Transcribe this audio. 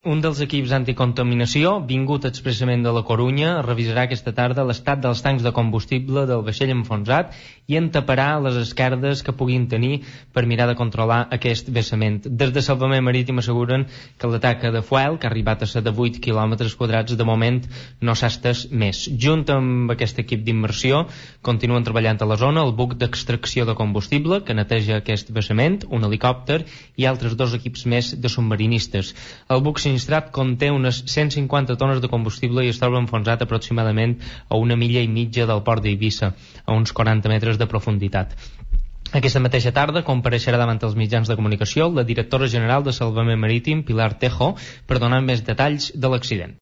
Un dels equips anticontaminació, vingut expressament de la Corunya, revisarà aquesta tarda l'estat dels tancs de combustible del vaixell enfonsat i en taparà les esquerdes que puguin tenir per mirar de controlar aquest vessament. Des de Salvament Marítim asseguren que la taca de fuel, que ha arribat a ser de 8 quilòmetres quadrats, de moment no s'ha estès més. Junt amb aquest equip d'immersió, continuen treballant a la zona el buc d'extracció de combustible, que neteja aquest vessament, un helicòpter i altres 2 equips més de submarinistes. El buc sinistrat conté unes 150 tones de combustible i es troba enfonsat aproximadament a 1,5 milles del port d'Eivissa, a uns 40 metres de profunditat. Aquesta mateixa tarda compareixerà davant els mitjans de comunicació la directora general de Salvament Marítim, Pilar Tejo, per donar més detalls de l'accident.